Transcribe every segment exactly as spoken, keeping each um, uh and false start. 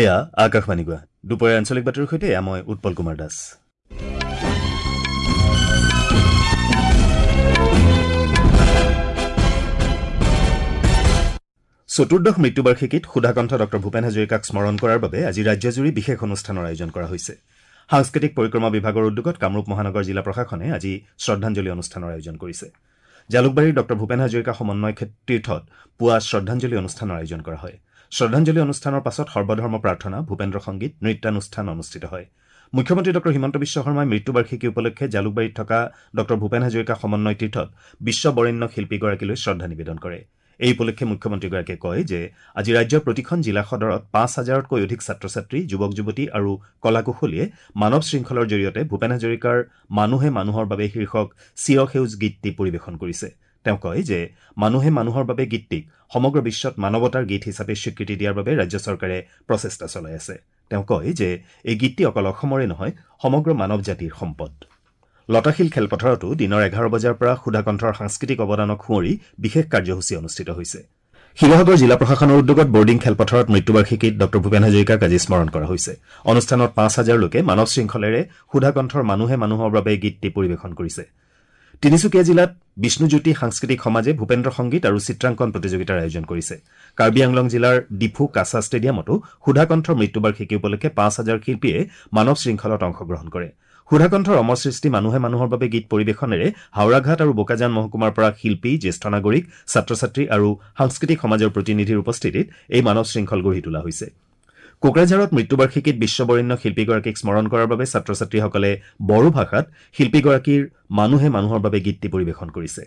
এয়া আকাশবাণী গুৱাহাটী। দুপৰীয়া আঞ্চলিক বাতৰিৰ সৈতে এয়া মই উৎপল কুমাৰ দাস। চতুৰ্দশ মৃত্যুবাৰ্ষিকীত সুধাকণ্ঠ ডঃ ভূপেন হাজৰিকাক স্মৰণ কৰাৰ বাবে আজি ৰাজ্যজুৰি বিশেষ অনুষ্ঠানৰ আয়োজন কৰা হৈছে। সাংস্কৃতিক পৰিক্ৰমা বিভাগৰ উদ্যোগত কামৰূপ মহানগৰ জিলা প্ৰশাসনে আজি শ্ৰদ্ধাঞ্জলি অনুষ্ঠানৰ আয়োজন কৰিছে। জালুকবাৰীৰ ডঃ ভূপেন হাজৰিকা সমন্বয় তীৰ্থত পুৱা শ্ৰদ্ধাঞ্জলি অনুষ্ঠানৰ আয়োজন কৰা হয়। শ্ৰদ্ধাঞ্জলি অনুষ্ঠানৰ পাছত সৰ্বধৰ্ম প্ৰাৰ্থনা, ভূপেন্দ্ৰ সংগীত, নৃত্যানুষ্ঠান অনুষ্ঠিত হয়। মুখ্যমন্ত্ৰী ডঃ হিমন্ত বিশ্ব শৰ্মাই মৃত্যুবাৰ্ষিকী উপলক্ষে জালুকবাৰীত থকা ডঃ ভূপেন হাজৰিকা সমন্বয় তীৰ্থত বিশ্ববৰেণ্য শিল্পীগৰাকীলৈ শ্ৰদ্ধা নিবেদন কৰে। এই উপলক্ষে মুখ্যমন্ত্ৰীগৰাকীয়ে কয় যে আজি ৰাজ্যৰ প্ৰতিখন জিলা সদৰত পাঁচ হাজাৰতকৈ অধিক ছাত্ৰ ছাত্ৰী, যুৱক যুৱতী আৰু কলাকুশলীয়ে মানৱ শৃংখলৰ জৰিয়তে ভূপেন হাজৰিকাৰ মানুহে মানুহৰ বাবে শীৰ্ষক চিৰসেউজ গীতটি পৰিৱেশন কৰিছে। তেওঁ কয় যে মানুহে মানুহৰ বাবে গীতটিক সমগ্ৰ বিশ্বত মানৱতাৰ গীত হিচাপে স্বীকৃতি দিয়াৰ বাবে ৰাজ্য চৰকাৰে প্ৰচেষ্টা চলাই আছে। তেওঁ কয় যে এই গীতটি অকল অসমৰে নহয়, সমগ্ৰ মানৱ জাতিৰ সম্পদ। লতাশিল খেলপথাৰতো দিনৰ এঘাৰ বজাৰ পৰা সুধাকণ্ঠৰ সাংস্কৃতিক অৱদানক সুঁৱৰি বিশেষ কাৰ্যসূচী অনুষ্ঠিত হৈছে। শিৱসাগৰ জিলা প্ৰশাসনৰ উদ্যোগত বৰ্ডিং খেলপথাৰত মৃত্যুবাৰ্ষিকীত ডঃ ভূপেন হাজৰিকাক আজি স্মৰণ কৰা হৈছে। অনুষ্ঠানত পাঁচ হাজাৰ লোকে মানৱ শৃংখলেৰে সুধাকণ্ঠৰ মানুহে মানুহৰ বাবে গীতটি পৰিৱেশন কৰিছে। তিনিচুকীয়া জিলাত বিষ্ণুজ্যোতি সাংস্কৃতিক সমাজে ভূপেন্দ্ৰ সংগীত আৰু চিত্ৰাংকন প্ৰতিযোগিতাৰ আয়োজন কৰিছে। কাৰ্বি আংলং জিলাৰ ডিফু কাছা ষ্টেডিয়ামতো সুধাকণ্ঠৰ মৃত্যুবাৰ্ষিকী উপলক্ষে পাঁচ হাজাৰ শিল্পীয়ে মানৱ শৃংখলত অংশগ্ৰহণ কৰে। সুধাকণ্ঠৰ অমৰ সৃষ্টি মানুহে মানুহৰ বাবে গীত পৰিৱেশনেৰে হাওৰাঘাট আৰু বোকাজান মহকুমাৰ পৰা শিল্পী, জ্যেষ্ঠ নাগৰিক, ছাত্ৰ ছাত্ৰী আৰু সাংস্কৃতিক সমাজৰ প্ৰতিনিধিৰ উপস্থিতিত এই মানৱ শৃংখল গঢ়ি তোলা হৈছে। কোকৰাঝাৰত মৃত্যুবাৰ্ষিকীত বিশ্ববৰেণ্য শিল্পীগৰাকীক স্মৰণ কৰাৰ বাবে ছাত্ৰ ছাত্ৰীসকলে বড়ো ভাষাত শিল্পীগৰাকীৰ মানুহে মানুহৰ বাবে গীতটি পৰিৱেশন কৰিছে।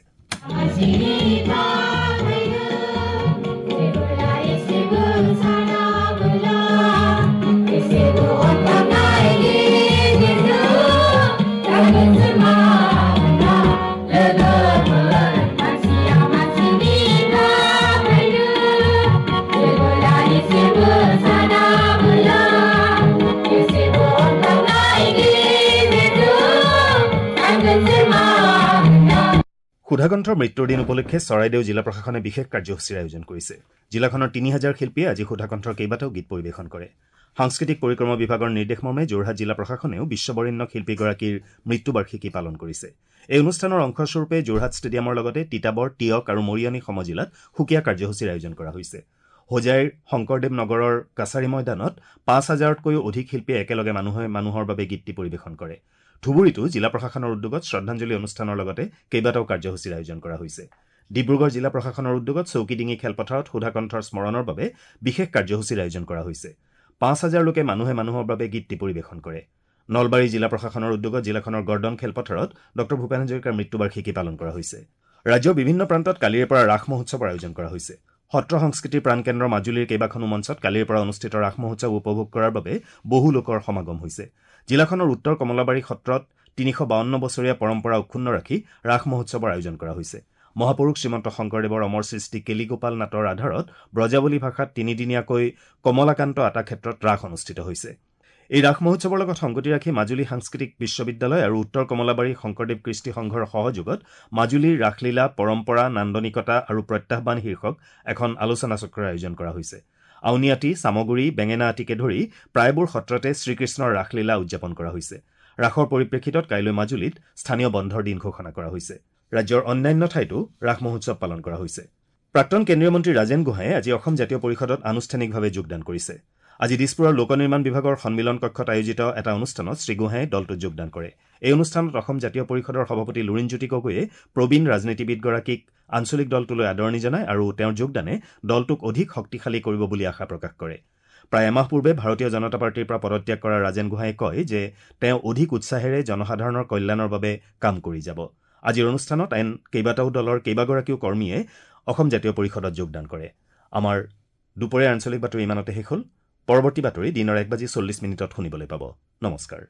সুধাকণ্ঠৰ মৃত্যুৰ দিন উপলক্ষে চৰাইদেউ জিলা প্ৰশাসনে বিশেষ কাৰ্যসূচীৰ আয়োজন কৰিছে। জিলাখনৰ তিনি হাজাৰ শিল্পীয়ে আজি সুধাকণ্ঠৰ কেইবাটাও গীত পৰিৱেশন কৰে। সাংস্কৃতিক পৰিক্ৰমা বিভাগৰ নিৰ্দেশ মৰ্মে যোৰহাট জিলা প্ৰশাসনেও বিশ্ববৰেণ্য শিল্পীগৰাকীৰ মৃত্যুবাৰ্ষিকী পালন কৰিছে। এই অনুষ্ঠানৰ অংশস্বৰূপে যোৰহাট ষ্টেডিয়ামৰ লগতে তিতাবৰ, তিয়ক আৰু মৰিয়নি সমজিলাত সুকীয়া কাৰ্যসূচীৰ আয়োজন কৰা হৈছে। হোজাইৰ শংকৰদেৱ নগৰৰ কাছাৰী ময়দানত পাঁচ হাজাৰতকৈও অধিক শিল্পীয়ে একেলগে মানুহে মানুহৰ বাবে গীতটি পৰিৱেশন কৰে। ধুবুৰীতো জিলা প্ৰশাসনৰ উদ্যোগত শ্ৰদ্ধাঞ্জলি অনুষ্ঠানৰ লগতে কেইবাটাও কাৰ্যসূচীৰ আয়োজন কৰা হৈছে। ডিব্ৰুগড় জিলা প্ৰশাসনৰ উদ্যোগত চৌকিডিঙি খেলপথাৰত সুধাকণ্ঠৰ স্মৰণৰ বাবে বিশেষ কাৰ্যসূচীৰ আয়োজন কৰা হৈছে। পাঁচ হাজাৰ লোকে মানুহে মানুহৰ বাবে গীতটি পৰিৱেশন কৰে। নলবাৰী জিলা প্ৰশাসনৰ উদ্যোগত জিলাখনৰ গৰ্ডন খেলপথাৰত ডঃ ভূপেন হাজৰিকাৰ মৃত্যুবাৰ্ষিকী পালন কৰা হৈছে। ৰাজ্যৰ বিভিন্ন প্ৰান্তত কালিৰে পৰা ৰাস মহোৎসৱৰ আয়োজন কৰা হৈছে। সত্ৰ সংস্কৃতিৰ প্ৰাণকেন্দ্ৰ মাজুলীৰ কেইবাখনো মঞ্চত কালিৰ পৰা অনুষ্ঠিত ৰাস মহোৎসৱ উপভোগ কৰাৰ বাবে বহু লোকৰ সমাগম হৈছে। জিলাখনৰ উত্তৰ কমলাবাৰী সত্ৰত তিনিশ বাৱন্ন বছৰীয়া পৰম্পৰা অক্ষুণ্ণ ৰাখি ৰাস মহোৎসৱৰ আয়োজন কৰা হৈছে। মহাপুৰুষ শ্ৰীমন্ত শংকৰদেৱৰ অমৰ সৃষ্টি কেলিগোপাল নাটৰ আধাৰত ব্ৰজাৱলী ভাষাত তিনিদিনীয়াকৈ কমলাকান্ত আটা ক্ষেত্ৰত ৰাস অনুষ্ঠিত হৈছে। এই ৰাস মহোৎসৱৰ লগত সংগতি ৰাখি মাজুলী সাংস্কৃতিক বিশ্ববিদ্যালয় আৰু উত্তৰ কমলাবাৰী শংকৰদেৱ কৃষ্টি সংঘৰ সহযোগত মাজুলীৰ ৰাসলীলা পৰম্পৰা, নান্দনিকতা আৰু প্ৰত্যাহ্বান শীৰ্ষক এখন আলোচনা চক্ৰৰ আয়োজন কৰা হৈছে। আউনীআটী, চামগুৰি, বেঙেনাআটীকে ধৰি প্ৰায়বোৰ সত্ৰতে শ্ৰীকৃষ্ণৰ ৰাসলীলা উদযাপন কৰা হৈছে। ৰাসৰ পৰিপ্ৰেক্ষিতত কাইলৈ মাজুলীত স্থানীয় বন্ধৰ দিন ঘোষণা কৰা হৈছে। ৰাজ্যৰ অন্যান্য ঠাইতো ৰাস মহোৎসৱ পালন কৰা হৈছে। প্ৰাক্তন কেন্দ্ৰীয় মন্ত্ৰী ৰাজেন গোহাঁয়ে আজি অসম জাতীয় পৰিষদত আনুষ্ঠানিকভাৱে যোগদান কৰিছে। আজি দিছপুৰৰ লোক নিৰ্মাণ বিভাগৰ সন্মিলন কক্ষত আয়োজিত এটা অনুষ্ঠানত শ্ৰীগোহাঁয়ে দলটোত যোগদান কৰে। এই অনুষ্ঠানত অসম জাতীয় পৰিষদৰ সভাপতি লুৰিণজ্যোতি গগৈয়ে প্ৰবীণ ৰাজনীতিবিদগৰাকীক আঞ্চলিক দলটোলৈ আদৰণি জনায় আৰু তেওঁৰ যোগদানে দলটোক অধিক শক্তিশালী কৰিব বুলি আশা প্ৰকাশ কৰে। প্ৰায় এমাহ পূৰ্বে ভাৰতীয় জনতা পাৰ্টীৰ পৰা পদত্যাগ কৰা ৰাজেন গোহাঁয়ে কয় যে তেওঁ অধিক উৎসাহেৰে জনসাধাৰণৰ কল্যাণৰ বাবে কাম কৰি যাব। আজিৰ অনুষ্ঠানত আন কেইবাটাও দলৰ কেইবাগৰাকীও কৰ্মীয়ে অসম জাতীয় পৰিষদত যোগদান কৰে। আমাৰ দুপৰীয়াৰ আঞ্চলিক বাতৰি ইমানতে শেষ হ'ল। পৰৱৰ্তী বাতৰি দিনৰ এক বাজি চল্লিছ মিনিটত শুনিবলৈ পাব। নমস্কাৰ।